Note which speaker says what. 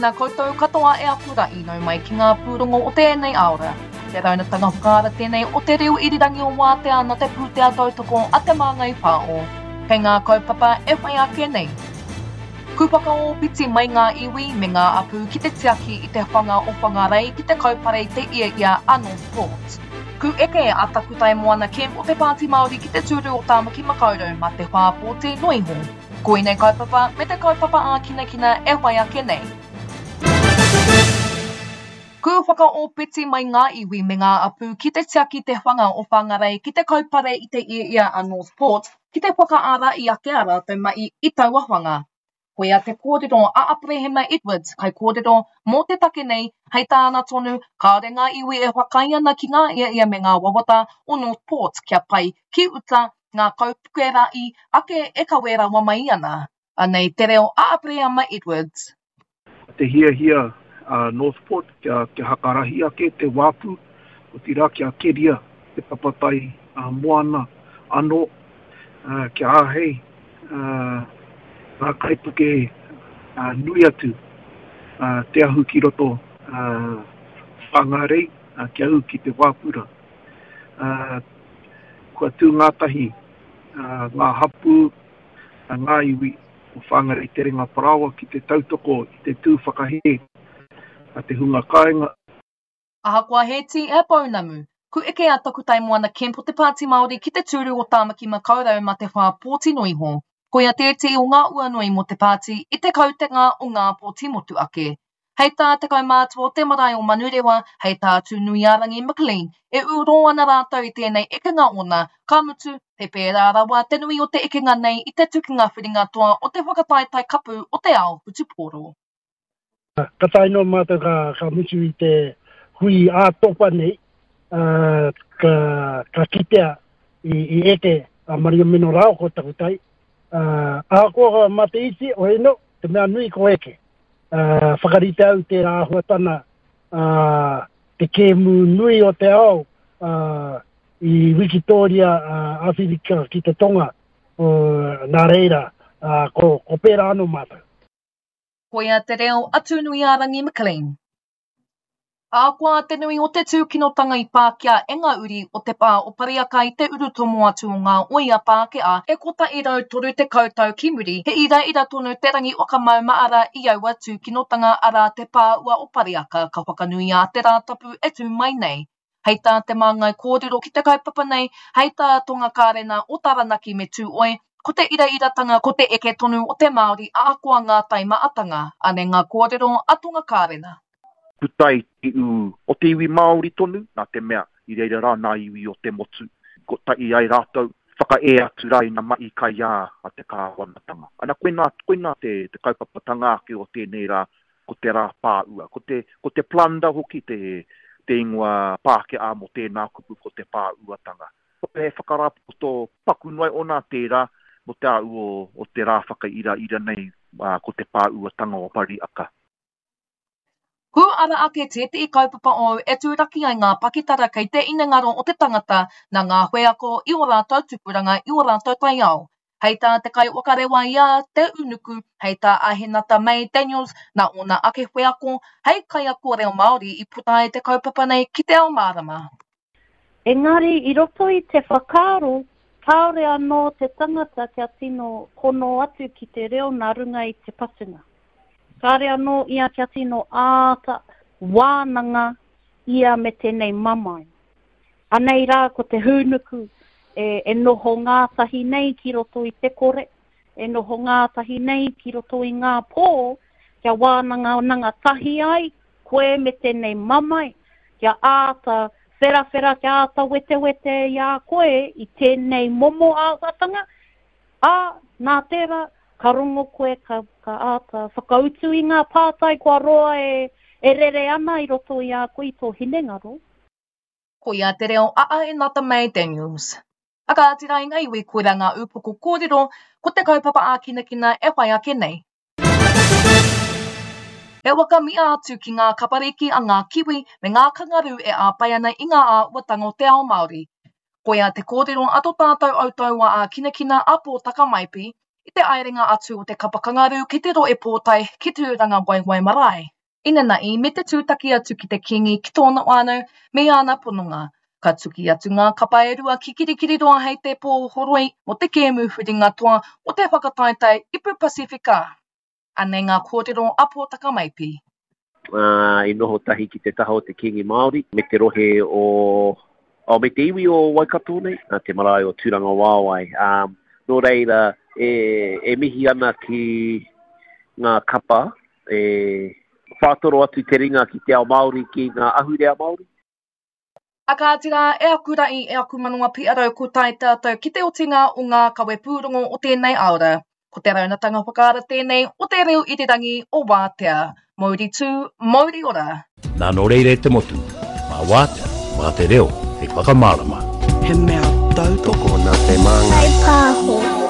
Speaker 1: Tēnā koutou katoa e aku ra i nau mai ki ngā pūrongo o tēnei āora. Te raunatanga whakaara tēnei o te reo irirangi o Wātea na te pūtea tautoko a Te Māngai Pāo. Kei ngā kaupapa e whai ake nei. Ku whakaōpiti mai ngā iwi me ngā apū ki te tiaki i te whanga o Whangarei ki te kaupare i te iaia a Northport. Ku eke a Takutai Moana Kemp o te Pāti Māori ki te tūru o Tāmaki Makaurau mā te whā pōti noa iho. Koinei kaupapa me te kaupapa ākinakina e whai ake nei. Ku whakaōpiti mai ngā iwi me ngā apū ki te tiaki te whanga o Whangarei ki te kaupare i te iaia a Northport ki te whakaara i ake a rātou mahi i taua whanga. Koia te kōrero a Aperehema Edwards, kaikōrero mō te take nei, hei tāna tonu, kāore ngā iwi e whakaae ana ki ngā iaia me ngā wawata o Northport kia pai ki uta ngā kaupuke ra'i ake e kawe rawa mai ana. Anei te reo a Aperehama Edwards.
Speaker 2: Ko te hiahia a Northport kia hakarahi ake te wāpu, otirā kia keria te papatai moana anō, kia āhei ngā kaipuke nui atu te ahu ki roto Whāngārei kia ū ki te wāpu rā. Kua tū ngātahi ngā hapū, ngā iwi o Whāngarei Te Renga Parāoa ki te tautoko i te tū whakahē a te hunga kāinga.
Speaker 1: Ahakoa he tī, he pounamu, ku eke a Takutai Moana Kemp o te Pāti Māori ki te tūru o Tāmaki Makaurau mā te whā pōti noa iho. Koia tētehi o ngā uanui mō te pāti i te kautenga o ngā pōti motuake. Hei tā te kaumātua o te marae o Manurewa, hei tā Tūnuiārangi McLean, e ū rō ana rātou i tēnei ekenga ōna, ka mutu, he pērā rawa te nui o te ekenga nei i te tukinga whiringa toa o te whakataetae kapu o te ao whutupōro.
Speaker 3: Ka tae noa mātou ka mutu i te hui ā-topa nei, ka kitea i eke a Maria Mino rāua ko Takutai. Ahakoa mā te iti, oi no, te mea nui ko eke. Whakarite au tērā āhuatana te kēmu nui o te ao i Wikitōria Awhirika ki te Tonga, nā reira, ko pērā anō mātou.
Speaker 1: Koia te reo a Tūnuiārangi McLean. Ahakoa te nui o te tūkinotanga i pākia e ngā uri o te pā o Pariaka i te urutomo atu o ngā oia Pākehā e 130 tau ki muri, he iraira tonu te rangi whakamaumaara i aua tūkinotanga arā te pā ua o Pariaka ka whakanuia te Rātapu e tū mai nei. Hei tā te māngai kōrero ki te kaupapa nei, hei tā Tonga Kārena o Taranaki me Tūoi, ko te irairatanga ko te eke tonu o te Māori ahakoa ngā taimaatanga, anei ngā kōrero a Tonga Kārena.
Speaker 4: Puta i te ū o te iwi Māori tonu, nā te mea i reira rā nā iwi o te motu, kotahi ai rātou, whakaē atu rā ina mahi kaiā a te kāwanatanga. Ana koinā, koinā te, te kaupapatanga ake o tēnei rā, ko te rā pāua. Ko te, ko te plunder hoki te, te ingoa Pākehā mō tēnā kupu ko te pāuatanga. He whakarāpopoto paku noa iho nā tērā mō te āu o, o te rā whakairaira nei, ā, ko te pāuatanga o Pariaka.
Speaker 1: Kū ara ake tētehi kaupapa ōu e tūraki ai ngā pakitara kei te inengaro o te tangata nā ngā wheako i ō rātou tupuranga i ō rātou taiao. Hei tā te kaiwhakarewa i a Te Unuku, hei tā Ahenata May Daniels, nā ōna ake wheako hei kaiako reo Māori i puta ai te kaupapa nei ki te ao mārama.
Speaker 5: Engari i roto i te whakaaro, kāore anō te tangata kia tino hono atu ki te reo nā runga i te patunga. Kāore anō ia kia tino āta wānanga ia me tēnei mamae. Anei rā ko te hūnuku e noho ngātahi nei ki roto i te kore, e noho ngātahi nei ki roto i ngā pō, kia wānangananga tahi ai koe me tēnei mamae, kia āta wherawhera, kia āta wetewete i a koe i tēnei momo āhuatanga, ā, nā tērā, ka rongo koe, ka, ka āta whakautu i ngā pātai kua roa e, e rere ana i roto i a koe i tō hinengaro.
Speaker 1: Koia te reo a Aenata May Daniels. A kāti rā i ngā iwi koirā ngā ūpoko kōrero, ko te kaupapa ākinakina e whai ake nei. He waka mia atu ki ngā kapariki a ngā kiwi me ngā kangarū e āpai ana i ngā āhuatanga o te ao Māori. Koia te kōrero a to tātou autaua ākinakina a Pōtaka Maipi i te aerenga atu o te kapa kangarū ki te rohe pōtae ki Tūrangawaewae Marae. Inanahi me te tūtaki atu ki te Kīngi ki tōna whānau me āna pononga. Ka tuki atu ngā kapa e rua ki Kirikiriroa hei te pō horoi mō te kēmu huringa toa o te whakataetae Ipu Pasifika. Anei ngā kōrero a Pōtaka Maipi.
Speaker 6: I noho tahi ki te taha o te Kīngi Māori me te rohe o, oh, me te iwi o Waikato nei, te marae o Tūrangawaewae. Nō reira, e, e mihi ana ki ngā kapa e whātoro atu te ringa ki te ao Māori, ki ngā ahurea Māori.
Speaker 1: A kāti rā, e aku ra'i, e aku manawa piarau ko tae tātou ki te otinga o ngā kawepūrongo o tēnei aora. Ko te raunatanga whakaara tēnei o te reo irirangi o Wātea. Mouri tū, mouri ora!
Speaker 7: Nā nō reira e te motu, mā Wātea, mā te reo hei whakamārama.
Speaker 8: He mea tautoko
Speaker 9: nā te māngai.
Speaker 10: Pae Pāho.